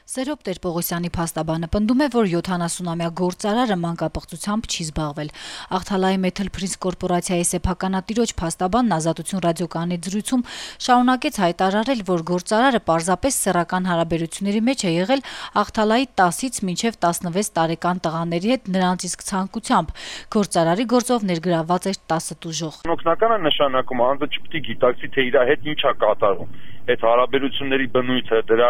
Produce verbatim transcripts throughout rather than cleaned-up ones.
Սերոբ Տեր-Պողոսյանի փաստաբանը պնդում է, որ յոթանասունամյա գործարարը մանկապղծությամբ չի զբաղվել։ Աղթալայի Metal Prince կորպորացիայի սեփականատիրոջ փաստաբանն Ազատություն ռադիոկայանի զրույցում շարունակեց հայտարարել, որ գործարարը պարզապես սեռական հարաբերությունների մեջ է եղել Աղթալայի տասից մինչև տասնվեց տարեկան տղաների հետ նրանց իսկ ցանկությամբ։ Գործարարի գործով ներգրավված էր տասը տուժող։ Օգնականը նշանակում անձը չպետք է գիտակցի, թե իր հետ ինչ է կատարում։ Այդ հարաբերությունների բնույթը, դրա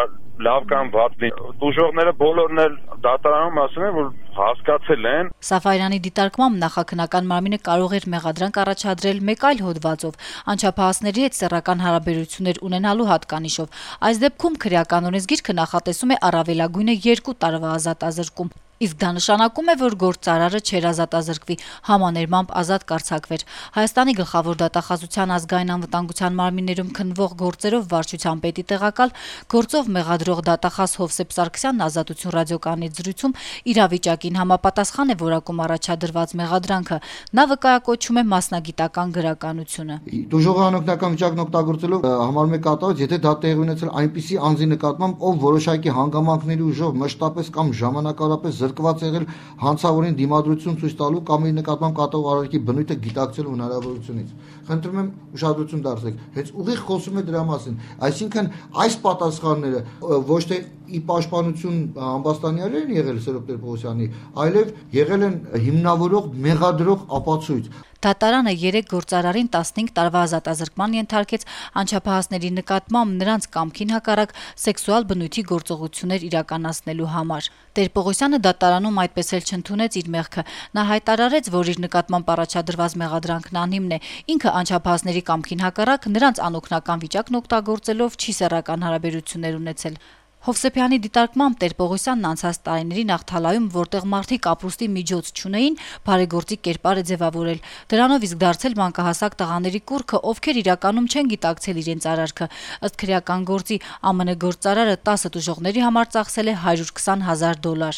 լավ կամ վատ տուժողները բոլորն էլ դատարանում ասում են, որ հասկացել են։ Սաֆարյանի դիտարկմամբ նախաքննական մարմինը կարող էր մեղադրանք առաջադրել մեկ այլ հոդվածով, անչափահասների հետ սեռական հարաբերություններ ունենալու հատկանիշով։ Այս դեպքում քրեական օրենսգիրքը նախատեսում է առավելագույնը երկու տարվա ազատազրկում։ Իսկ դա նշանակում է, որ գործարարը չէր ազատազրկվի, համաներմամբ ազատ կարձակվեր։ Հայաստանի գլխավոր դատախազության ազգային անվտանգության մարմիններում քննվող գործերով վարչության պետի տեղակալ, գործով մեղադրող դատախազ Հովսեփ Սարգսյանն Ազատություն ռադիոկայանի զրույցում իրավիճակին համապատասխան է որակում առաջադրված մեղադրանքը։ Նա վկայակոչում է մասնագիտական գրականությունը։ Տուժողը անօգնական վիճակն օգտագործելով համարում է կատարված, եթե դա տեղի ունեցել այնպիսի անձի նկատմամբ, ով որոշակի հանգամանքների ուժով մշտապես կամ ժամանակավորապես զրկված եղել հանցավորին դիմադրություն ցույց տալու կամ իր նկատմամբ կատարող արարքի բնույթը գիտակցելու հնարավորությունից։ Խնդրում եմ ուշադրություն դարձնեք, հենց ուղիղ խոսում է դրա մասին։ Այսինքն այս պատասխանները ոչ թե ի պաշտպանություն ամբաստանյալներ են եղել Սերոբ Տեր-Պողոսյանի, այլև եղել են հիմնավորող, մեղադրող ապացույց։ Դատարանը երեք գործարարին տասնհինգ տարվա ազատազրկման ենթարկեց անչափահասների նկատմամբ նրանց կամքին հակառակ սեքսուալ բնույթի գործողություններ իրականացնելու համար։ Տեր-Պողոսյանը դատարանում այդպես էլ չընդունեց իր մեղքը։ Նա հայտարարեց, որ իր նկատմամբ առաջադրված մեղադրանքն անհիմն է։ Ինքը անչափահասների կամքին հակառակ նրանց անօգնական վիճակն օգտագործելով չի սեռական հարաբերություններ ունեցել։ Հովսեփյանի դիտարկմամբ Տեր-Պողոսյանն անցած տարիներին Աղթալայում, որտեղ մարդիկ ապրուստի միջոց չունեին, բարեգործի կերպար է ձևավորել։ Դրանով իսկ դարձել մանկահասակ տղաների կուռքը, ովքեր իրականում չեն գիտակցել իրենց արարքը։ Ըստ քրեական գործի ԱՄՆ գործարարը տասը տուժողների համար ծախսել է հարյուր քսան հազար դոլար։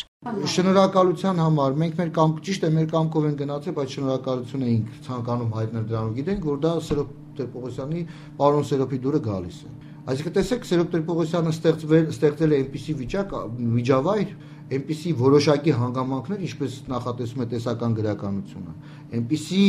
Շնորհակալության համար մենք մեր կամ ճիշտ է մեր կամքով են գնացել, բայց շնորհակալություն էինք ցանկանում հայտնել դրանով։ Գիտենք, որ դա Սերոբ Տեր-Պողոսյանի պարոն Սերոբի դուրը գալիս է։ Այսինքն տեսեք, Սերոբ Տեր-Պողոսյանը ստեղծվել ստեղծել է այնպիսի վիճակ, միջավայր, այնպիսի որոշակի հանգամանքներ, ինչպես նախատեսում է տեսական գրականությունը, այնպիսի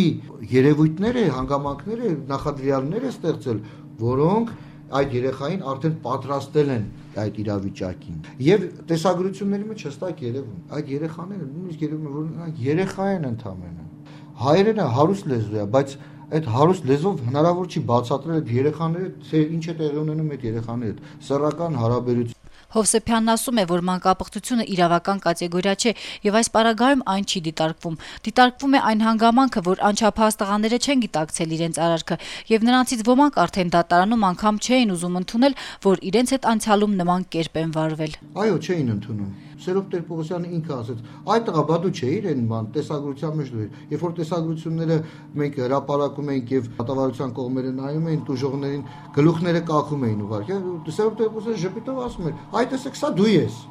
երևույթներ է, հանգամանքներ է, նախադրյալներ է ստեղծել, որոնք այդ երեխային արդեն պատրաստել են այդ իրավիճակին։ Եվ տեսագրությունների մեջ հստակ երևում, այդ երեխաները նույնիսկ երևում է, որ երեխա են ընդամենը։ Հայերենը հարուստ լեզու է, բայց այդ հարուստ լեզվով հնարավոր չի բացատրել այդ երեխաները, թե ինչ է տեղի ունենում այդ երեխաների հետ, սեռական հարաբերություն։ Հովսեփյանն ասում է, որ մանկապղծությունը իրավական կատեգորիա չէ եւ այս պարագայում այն չի դիտարկվում։ Դիտարկվում է այն հանգամանքը, որ անչափահաս տղաները չեն գիտակցել իրենց արարքը եւ նրանցից ոմանք արդեն դատարանում անգամ չէին ուզում ընդունել, որ իրենց հետ անցյալում նման կերպ են վարվել։ Այո, չէին ընդունում։ Սերոբ Տեր-Պողոսյանը ինքը ասաց. «Այդ տղա բա դու չէիր այն բան, տեսագրության մեջ դու էր»։ Երբ որ տեսագրությունները մենք հրապարակում էինք եւ դատավարության կողմերը նայում էին, տուժողներին գլուխները կախում էին ուղղակի։ Սերոբ Տեր-Պողոսյանը ժպիտով ասում էր. «Այ տեսեք, սա դու ես։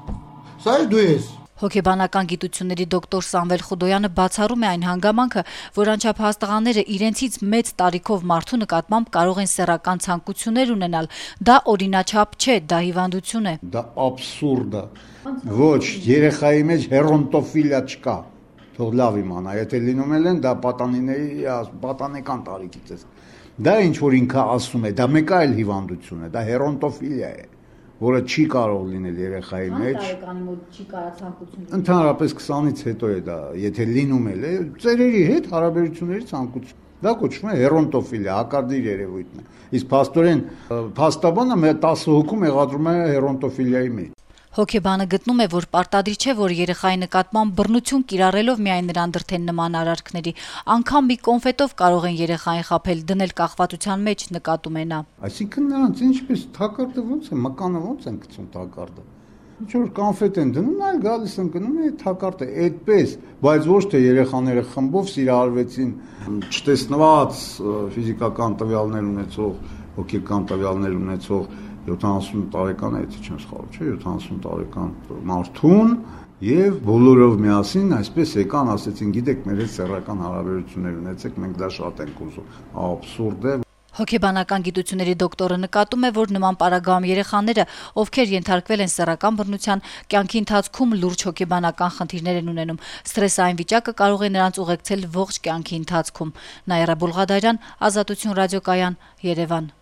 Սա էլ դու ես»։ Հոգեբանական գիտությունների դոկտոր Սամվել Խուդոյանը բացառում է այն հանգամանքը, որ անչափահաս տղաները իրենցից մեծ տարիքով մարդու նկատմամբ կարող են սեռական ցանկություններ ունենալ։ Դա օրինաչափ չէ, դա հիվանդություն է։ Դա աբսուրդ է։ Ոչ, երեխայի մեջ հերոնտոֆիլիա չկա։ Թող լավ իմանա, եթե լինում են, դա պատանիների պատանեկան տարիքից է։ Դա ինչ որ ինքը ասում է, դա մեկ այլ հիվանդություն է, դա հերոնտոֆիլիա է, որը չի կարող լինել երեխայի մեջ։ Տարեկանի մոտ չի կարա ցանկություն։ Ընդհանրապես քսանից հետո է դա, եթե լինում էլ է, ծերերի հետ հարաբերությունների ցանկություն։ Դա կոչվում է հերոնտոֆիլիա, հակարդիր երևույթն է։ Իսկ փաստորեն փաստաբանը տասը հոգու մեղադրում է հերոնտոֆիլիայի մեջ։ Հոգեբանը գտնում է, որ պարտադիր չէ, որ երեխայի նկատմամբ բռնություն կիրառելով միայն նրան դրթեն նման արարքների, անգամ մի կոնֆետով կարող են երեխային խաբել, դնել կախվածության մեջ, նկատում է նա։ Այսինքն նրանց ինչպես թակարդը ոնց է, մկանը ոնց են գցում թակարդը։ Ինչ որ կոնֆետ են դնում, այլ գալիս են գնում է թակարդը, այդպես, բայց ոչ թե երեխաները խմբով սիրահարվեցին, չտեսնված ֆիզիկական տվյալներ ունեցող, հոգեկան տվյալներ ունեցող յոթանասուն տարեկան է, եթե չեմ սխալվում, չէ, յոթանասուն տարեկան մարդուն եւ բոլորով միասին այսպես եկան, ասեցին, գիտեք, մեր հետ սեռական հարաբերություններ ունեցեք, մենք դա շատ ենք ուզում։ Աբսուրդ է։ Հոգեբանական գիտությունների դոկտորը նկատում է, որ նման պարագայում երեխաները, ովքեր ենթարկվել են սեռական բռնության, կյանքի ընթացքում լուրջ հոգեբանական խնդիրներ են ունենում։ Սթրեսային վիճակը կարող է նրանց ուղեկցել ողջ կյանքի ընթացքում։ Նաիրա Բուլղադարյան, Ազատություն ռադիոկայան, Երևան։